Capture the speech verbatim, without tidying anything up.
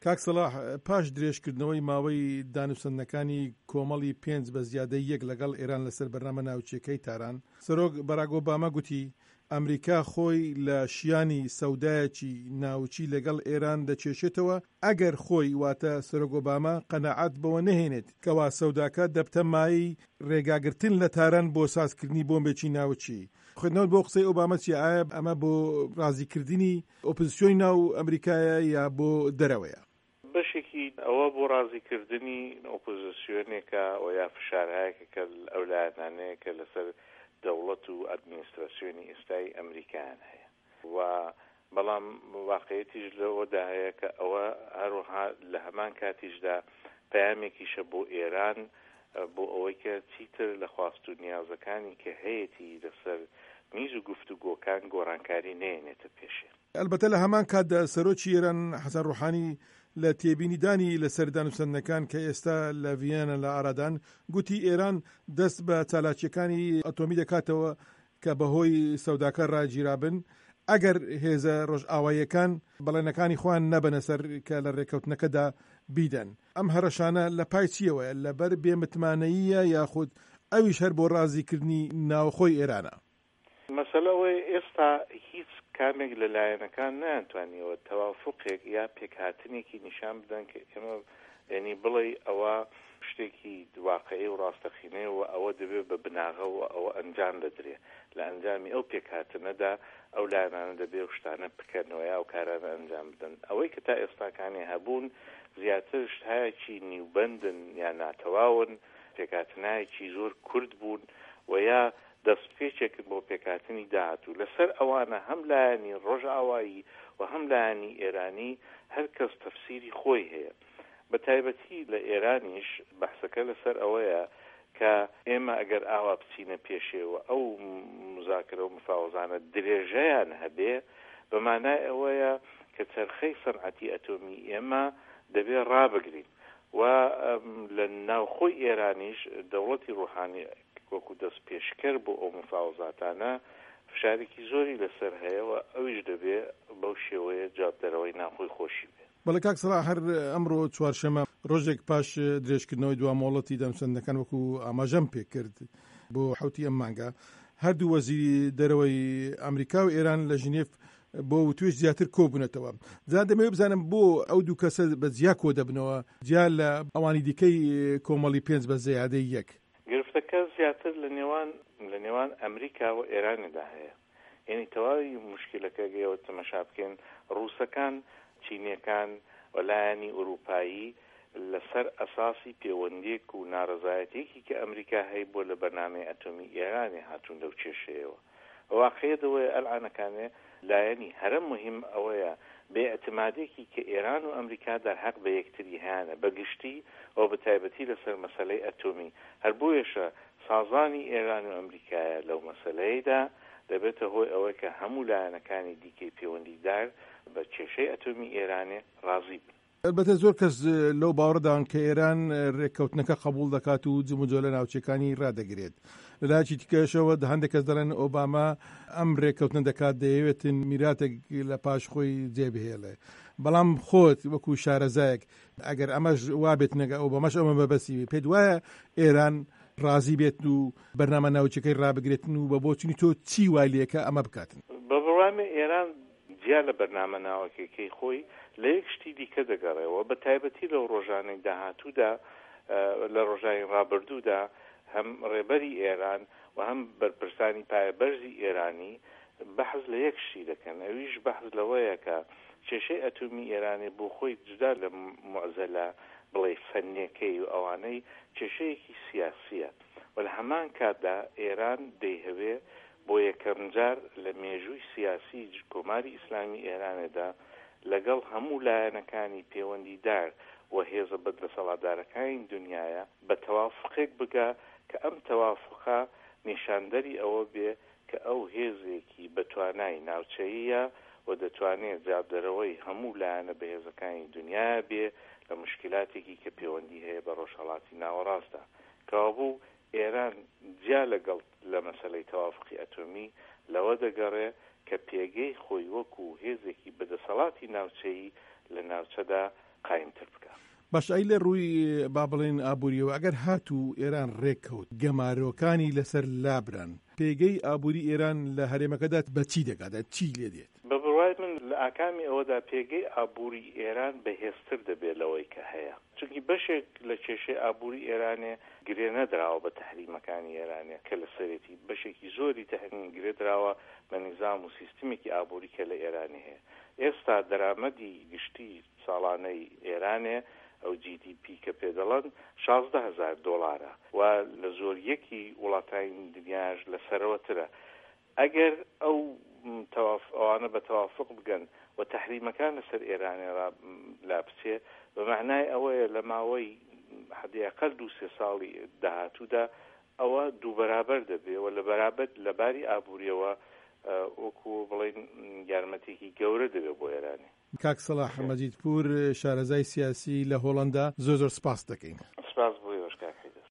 کاک سەڵاح، پاش درێژکردنەوەی ماوەی دانوسەندنەکانی کۆمەڵی پێنج بە زیادەی یەک لەگەڵ ئێران لەسەر بەرنامە ناوکییەکەی تاران، سەرۆک باراک ئۆباما گوتی ئەمریکا خۆی لە شیانی سەودایەکی ناوکی لەگەڵ ئێران دەکێشێتەوە ئەگەر خۆی واتە سەرۆک ئۆباما قەناعەت بەوە نەهێنێت کەوا سەوداکە دەبتە مایەی ڕێگاگرتن لە تاران بۆ سازکردنی بۆمبێکی ناوکی. خوێندنەوەت بۆ قسەی ئۆباما چیە؟ ئایا ئەمە بۆ ڕازیکردنی ئۆپزسیۆنی ناو ئەمریکایە یا بۆ دەرەوەیە؟ بەشێکی ئەوە بۆ ڕازیکردنی ئۆپۆزسیۆنێکە و یا فشارهایەکە کە ئەو لایەنانەیە کە لەسەر دەوڵەت و ئەدمینستراسیۆنی ئێستای ئەمریکایان هەیە و بەڵام واقعیەتیش لەوەدا هەیە کە ئەوە هەروەها لە هەمان کاتیشدا پەیامێکیشە بۆ ئێران بۆ ئەوەی کە چیتر لە خواست و نیازەکانی کە هەیەتی لەسەر میز و گفتوگۆکان گۆڕانکاری نەیەنێتە پێشێ. ئەلبەتە لە هەمان کاتدا سەرۆکی ئێران حەسەن ڕۆحانی لە تێبینیدانی لەسەر دانوسەندنەکان کە ئێستا لە ڤییەنا لە ئارادان، گوتی ئێران دەست بە چالاکییەکانی ئەتۆمی دەکاتەوە کە بەهۆی سەوداکە ڕاگیرابن ئەگەر هێزە ڕۆژئاواییەکان بەڵێنەکانی خۆیان نەبەنە سەر کە لە ڕێککەوتنەکەدا بیدەن. ئەم هەڕەشانە لە پای چییەوەیە؟ لەبەر بێ متمانەییە یاخود ئەویش هەر بۆ ڕازیکردنی ناوخۆی ئێرانە؟ مەسەلە ئەوەیە ئێستا هیچ کامێک لە لایەنەکان نەیانتوانیوە تەوافوقێک یا پێکهاتنێکی نیشان بدەن کە ئێمە یانی بڵێی ئەوە شتێکی واقعی و ڕاستەقینەیە و ئەوە دەبێ بە بناغە و ئەوە ئەنجام دەدرێ لە ئەنجامی ئەو پێکهاتنەدا ئەو لایەنانە دەبێ ئەو شتانە بکەنەوە یا ئەو کارانە ئەنجام بدەن ئەوەی کە تا ئێستاکانێ هەبوون زیاتر شتهایەکی نیوبەندن یا ناتەواون پێکهاتنایەکی زۆر کورت بوون و یا دەستپێکێکن بۆ پێکهاتنی داهاتوو. لەسەر ئەوانە هەم لایەنی ڕۆژئاوایی و هەم لایەنی ئێرانی هەر کەس تەفسیری خۆی هەیە. بە تایبەتی لە ئێرانیش بەحسەکە لەسەر ئەوەیە کە ئێمە ئەگەر ئاوا بچینە پێشێ و ئەو موزاکرە و مفاوەزانە درێژەیان هەبێ بە مانای ئەوەیە کە چەرخەی سەنعەتی ئەتۆمی ئێمە دەبێ ڕابگرین و لە ناوخۆی ئێرانیش دەوڵەتی ڕوحانی وەکوو دەستپێشکەر بۆ ئەو مفاوەزاتانە فشارێکی زۆری لەسەر هەیە و ئەویش دەبێ بەو شێوەیە جوابدەرەوەی ناوخۆی خۆشی بێ. بەڵێ کاک سەڵاح، هەر ئەمڕۆ چوارشەمە ڕۆژێک پاش درێژکردنەوەی دوا مۆڵەتی دانوسەندنەکان وەکوو ئاماژەم پێکرد بۆ حەوتی ئەم مانگە هەردوو وەزیری دەرەوەی ئەمریکا و ئێران لە ژنێف بۆ وتوێژ زیاتر کۆبوونەتەوە. جا دەمەوێت بزانم بۆ ئەو دوو کەسە بە جیا کۆ دەبنەوە جیا لە ئەوانی دیکەی کۆمەڵی پێنج بە زیادەی یەک؟ گرفتەکە زیاتر لە نێوان لە نێوان ئەمریکا و ئێرانێدا هەیە. یەنی تەواوی موشکیلەکە گەر ئێوە تەمەشا بکەن ڕووسەکان، چینیەکان و لایەنی ئورووپایی لە سەر ئەساسی پێوەندیەک و نارەزایەتیەکی کە ئەمریکا هەیبووە لە بەرنامەی ئەتۆمی ئێرانێ هاتوون لەو کێشەیەوە. واقعیەت ئەوەیە ئەلعانەکانێ لایەنی هەرە موهیم ئەوەیە بێ ئیعتمادێکی کە ئێران و ئەمریکا دەرهەق بە یەکتری هەیانە بە گشتی و بە تایبەتی لە سەر مەسەلەی ئەتۆمی هەر بۆیەشە سازانی ئێران و ئەمریکایە لەو مەسەلەیدا دەبێتە هۆی ئەوەی کە هەموو لایەنەکانی دیکەی پێوەندیدار بە کێشەی ئەتۆمی ئێرانێ ڕازی بن. ئەلبەتە زۆر کەس لەو باوەڕەدان کە ئێران رێککەوتنەکە قەبووڵ دەکات و جموجۆلە ناوچەکانی رادەگرێت. لە لایەکی دیکەشەوە هەندێک کەس دەڵێن ئۆباما ئەم رێککەوتنە دەکات دەیەوێتن میراتێک لە پاش خۆی جێبهێڵێ. بەڵام خۆت وەکو شارەزایەک ئەگەر ئەمەش وابێت نەگە ئۆباماش ئەمە مەبەستی بێ پێت وایە ئێران رازی بێت و بەرنامە ناوچەکەی رابگرێتن و بە بۆچونی تۆ چی وای لێکە ئەمە بکاتن؟ بە بڕوای من ئێران جیا لە بەرنامە ناوەکیەکەی خۆی لە یەک شتی دیکە دەگەڕێەوە بە تایبەتی لەو ڕۆژانەی داهاتوودا لە ڕۆژانی ڕابردوودا هەم ڕێبەری ئێران و هەم بەرپرسانی پایەبەرزی ئێرانی بەحس لە یەک شتی دەکەن ئەویش بەحس لەوەیە کە کێشەی ئەتۆمی ئێرانێ بۆ خۆی جودا لە موعزەلە بڵێی فەنیەکەی و ئەوانەی کێشەیەکی سیاسیە و لە هەمان کاتدا ئێران دەیهەوێ بۆ یەکەمجار لە مێژووی سیاسی کۆماری ئیسلامی ئێرانێدا لەگەڵ هەموو لایەنەکانی پێوەندیدار و هێزە بەدەسەڵاتدارەکانی دونیایا بە تەوافوقێک بگا کە ئەم تەوافوقە نیشاندەری ئەوە بێ کە ئەو هێزێکی بەتوانای ناوچەییە و دەتوانێ جوابدەرەوەی هەموو لایەنە بەهێزەکانی دونیایا بێ لە موشکیلاتێکی کە پێوەندی هەیە بە ڕۆژهەڵاتی ناوەڕاستدا. کەوابوو ئێران جیا لەگەڵ لە مەسەلەی تەوافوقی ئەتۆمی لەوە دەگەڕێ کە پێگەی خۆی وەکوو هێزێکی بەدەسەڵاتی ناوچەیی لە ناوچەدا قایمتر بکا. باشە ئەی لە ڕووی با بڵێین ئابووریەوە ئەگەر هاتوو ئێران ڕێککەوت گەمارۆکانی لەسەر لابران پێگەی ئابووری ئێران لە هەرێمەکەدا بە چی دەگات چی لێ دێت؟ بە بڕوای من لە ئاکامی ئەوەدا پێگەی ئابووری ئێران بەهێزتر دەبێت لەوەی کە هەیە، چونکی بەشێک لە کێشەی ئابووری ئێرانێ گرێ نەدراوە بە تەحریمەکانی ئێرانێ کە لەسەرێتی، بەشێکی زۆری تەحریم گرێ دراوە بە نیزام و سیستمێکی ئابووری کە لە ئێرانێ هەیە. ئێستا دەرامەدی گشتی ساڵانەی ئێرانێ ئەو جی دی پی کە پێ دەڵەن شازدە هەزار دۆڵارە و لە زۆریەکی وڵاتانی دنیاش لە سەرەوەترە. ئەگەر ئەو ئەوانە بە تەوافق بگەن و تەحریمەکان لەسەر ئێرانێ لا بچێ، بە مەعنای ئەوەیە لە ماوەی حەدی ئەقەل دوو سێ ساڵی داهاتوودا ئەوە دوو بەرابەر دەبێ و لە بەرابەر لە باری ئابووریەوە وەکو بڵێن یارمەتێکی گەورە دەبێت بۆ ئێرانێ. کاک سەڵاح مەجیدپوور شارەزای سیاسی لە هۆڵەندا زۆر زۆر سپاست دەکەین. سپاس بۆ ئێوەش کاک حەیدەر.